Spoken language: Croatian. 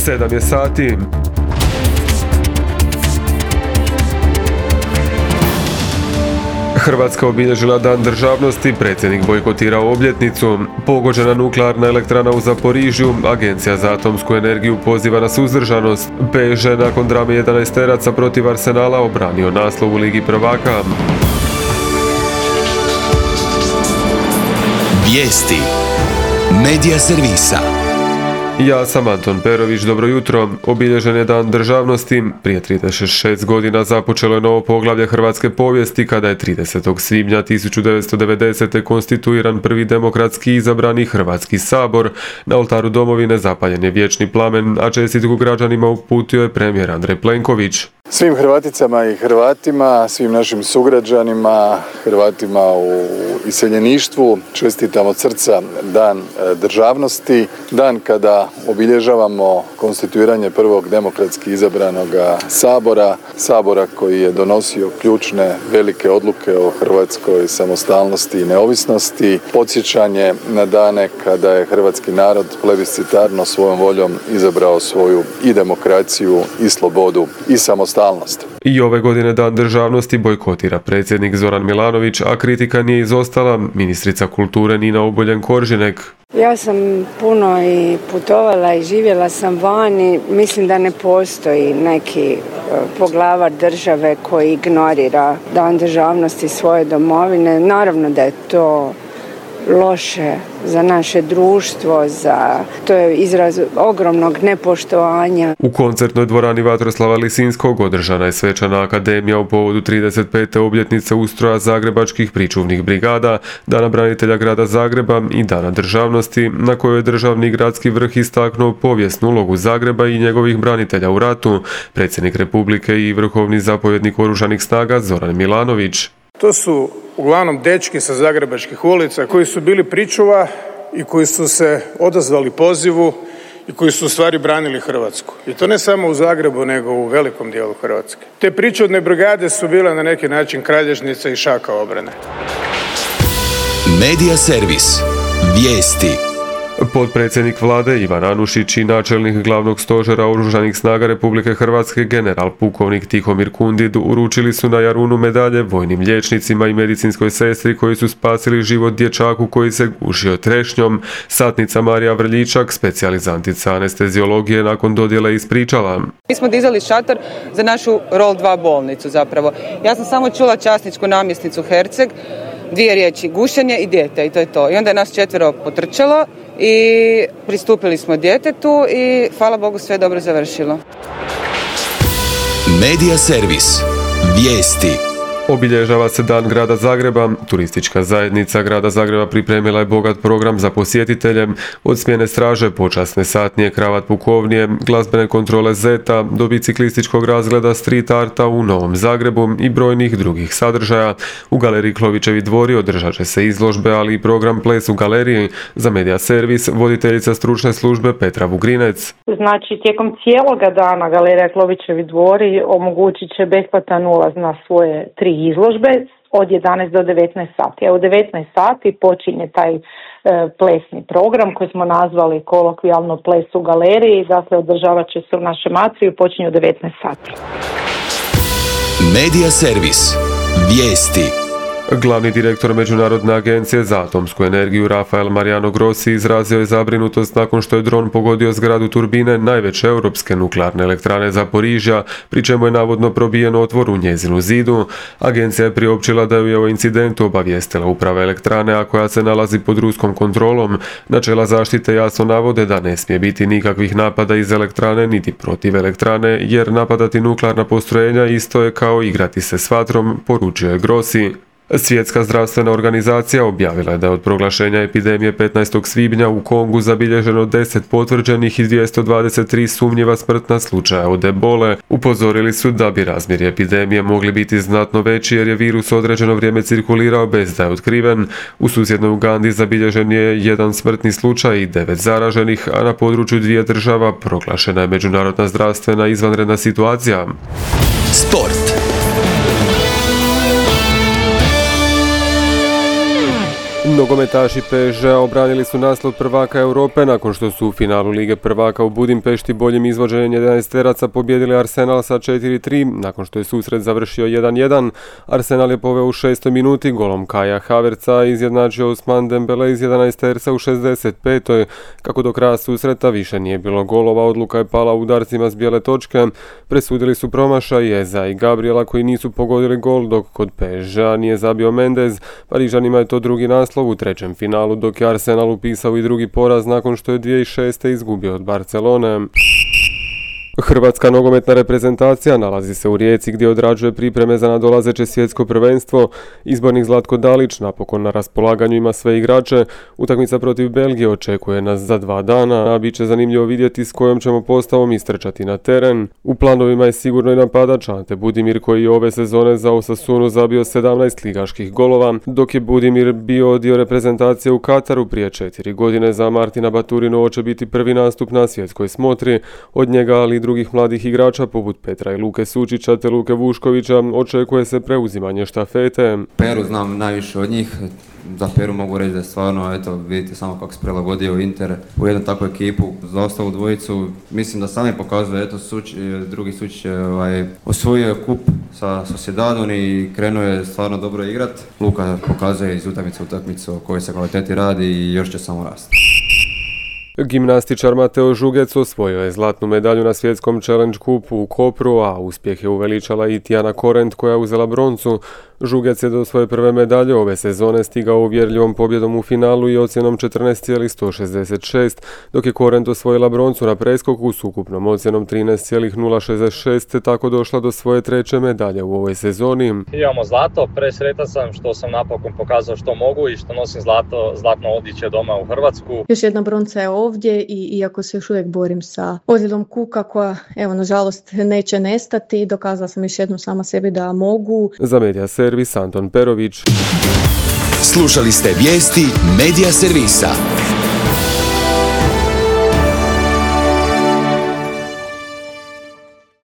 7 je sati. Hrvatska obilježila Dan državnosti, predsjednik bojkotirao obljetnicu. Pogođena nuklearna elektrana u Zaporižju, Agencija za atomsku energiju poziva na suzdržanost. PSG nakon drame 11-teraca protiv Arsenala obranio naslov u Ligi prvaka. Vijesti Medija servisa. Ja sam Anton Perović, dobro jutro. Obilježen je Dan državnosti. Prije 36 godina započelo je novo poglavlje hrvatske povijesti kada je 30. svibnja 1990. konstituiran prvi demokratski izabrani Hrvatski sabor. Na oltaru domovine zapaljen je vječni plamen, a čestitku građanima uputio je premijer Andrej Plenković. Svim Hrvaticama i Hrvatima, svim našim sugrađanima, Hrvatima u iseljeništvu čestitam od srca Dan državnosti, dan kada obilježavamo konstituiranje prvog demokratski izabranog sabora koji je donosio ključne velike odluke o hrvatskoj samostalnosti i neovisnosti, podsjećanje na dane kada je hrvatski narod plebiscitarno svojom voljom izabrao svoju i demokraciju i slobodu i samostalnost. I ove godine Dan državnosti bojkotira predsjednik Zoran Milanović, a kritika nije izostala ministrica kulture Nina Obuljen-Koržinek. Ja sam puno i putovala i živjela sam vani. Mislim da ne postoji neki poglavar države koji ignorira Dan državnosti svoje domovine. Naravno da je to loše za naše društvo, to je izraz ogromnog nepoštovanja. U koncertnoj dvorani Vatroslava Lisinskog održana je svečana akademija u povodu 35. obljetnice ustroja zagrebačkih pričuvnih brigada, Dana branitelja grada Zagreba i Dana državnosti, na kojoj je državni i gradski vrh istaknuo povijesnu ulogu Zagreba i njegovih branitelja u ratu, predsjednik Republike i vrhovni zapovjednik Oružanih snaga Zoran Milanović. To su uglavnom dečki sa zagrebačkih ulica koji su bili pričuva i koji su se odazvali pozivu i koji su u stvari branili Hrvatsku. I to ne samo u Zagrebu, nego u velikom dijelu Hrvatske. Te pričuvne brigade su bile na neki način kralježnica i šaka obrane. Medija servis. Vijesti. Potpredsjednik vlade Ivan Anušić i načelnik glavnog stožera Oružanih snaga Republike Hrvatske general pukovnik Tihomir Kundid uručili su na Jarunu medalje vojnim liječnicima i medicinskoj sestri koji su spasili život dječaku koji se gušio trešnjom. Satnica Marija Vrljičak, specijalizantica anesteziologije, nakon dodjele ispričala. Mi smo dizali šator za našu ROL 2 bolnicu zapravo. Ja sam samo čula časničku namjesnicu Herceg, 2 riječi, gušenje i dijete, i to je to. I onda je nas 4 potrčalo i pristupili smo djetetu i hvala Bogu sve je dobro završilo. Medija servis. Vijesti. Obilježava se Dan grada Zagreba. Turistička zajednica grada Zagreba pripremila je bogat program za posjetitelje, od smjene straže, počasne satnije, kravat pukovnije, glazbene kontrole zeta, do biciklističkog razgleda street arta u Novom Zagrebu i brojnih drugih sadržaja. U galeriji Klovićevi dvori održat će se izložbe, ali i program Ples u galeriji. Za Medija servis voditeljica stručne službe Petra Vugrinec. Znači, tijekom cijeloga dana galerija Klovićevi dvori omogućit će besplatan ulaz na svoje 3 izložbe od 11 do 19 sati. A u 19 sati počinje taj plesni program koji smo nazvali kolokvijalno Ples u galeriji. Dakle, održavat će se u našem atriju i počinje u 19 sati. Medija servis. Vijesti. Glavni direktor Međunarodne agencije za atomsku energiju Rafael Mariano Grossi izrazio je zabrinutost nakon što je dron pogodio zgradu turbine najveće europske nuklearne elektrane Zaporižja, pri čemu je navodno probijen otvor u njezinu zidu. Agencija je priopćila da ju je o incidentu obavijestila uprava elektrane, a koja se nalazi pod ruskom kontrolom. Načela zaštite jasno navode da ne smije biti nikakvih napada iz elektrane niti protiv elektrane, jer napadati nuklearna postrojenja isto je kao igrati se s vatrom, poručio je Grossi. Svjetska zdravstvena organizacija objavila je da je od proglašenja epidemije 15. svibnja u Kongu zabilježeno 10 potvrđenih i 223 sumnjiva smrtna slučaja od ebole. Upozorili su da bi razmjeri epidemije mogli biti znatno veći jer je virus određeno vrijeme cirkulirao bez da je otkriven. U susjednoj Ugandi zabilježen je 1 smrtni slučaj i 9 zaraženih, a na području 2 država proglašena je međunarodna zdravstvena izvanredna situacija. Nogometaši PSG-a obranili su naslov prvaka Europe nakon što su u finalu Lige prvaka u Budimpešti boljim izvođenjem 11-teraca pobijedili Arsenal sa 4-3. Nakon što je susret završio 1-1, Arsenal je poveo u 6. minuti golom Kaja Havertza i izjednačio Ousmane Dembele iz 11-terca u 65. Kako do kraja susreta više nije bilo golova, odluka je pala u udarcima s bijele točke. Presudili su promašaj Eza i Gabriela koji nisu pogodili gol, dok kod PSG-a nije zabio Mendez. Parižanima je to drugi naslov u trećem finalu, dok je Arsenal upisao i drugi poraz nakon što je 2006. izgubio od Barcelone. Hrvatska nogometna reprezentacija nalazi se u Rijeci gdje odrađuje pripreme za nadolazeće svjetsko prvenstvo. Izbornik Zlatko Dalić napokon na raspolaganju ima sve igrače. Utakmica protiv Belgije očekuje nas za 2 dana, a bit će zanimljivo vidjeti s kojom ćemo postavom istrčati na teren. U planovima je sigurno i napadač Ante Budimir koji je ove sezone za Osasunu zabio 17 ligaških golova, dok je Budimir bio dio reprezentacije u Kataru prije 4 godine. Za Martina Baturinu će biti prvi nastup na svjetskoj smotri. Od njega, ali i drugih mladih igrača poput Petra i Luke Sučića te Luke Vuškovića očekuje se preuzimanje štafete. Peru znam najviše od njih. Za Peru mogu reći da je stvarno, eto, vidite samo kako se prilagodio Inter u jednu takvu ekipu. Za ostalu dvojicu mislim da sami pokazuje, eto, drugi Sučić je osvojio kup sa Sociedadom i krenuo je stvarno dobro igrat. Luka pokazuje iz utakmice u utakmicu o kojoj se kvaliteti radi i još će samo rasti. Gimnastičar Mateo Žugec osvojio je zlatnu medalju na svjetskom Challenge Cupu u Kopru, a uspjeh je uveličala i Tijana Korent koja je uzela broncu. Žugec je do svoje prve medalje ove sezone stigao uvjerljivom pobjedom u finalu i ocjenom 14,166, dok je Korent osvojila broncu na preskoku s ukupnom ocjenom 13,066 te tako došla do svoje treće medalje u ovoj sezoni. Imamo zlato, presretan sam što sam napokon pokazao što mogu i što nosim zlatno odličje doma u Hrvatsku. Još jedna bronca je ovdje i iako se još uvijek borim sa ozljedom kuka koja, evo, nažalost neće nestati, dokazala sam još jednom sama sebi da mogu. Za Medija Servis Anton Perović. Slušali ste vijesti Medija Servisa.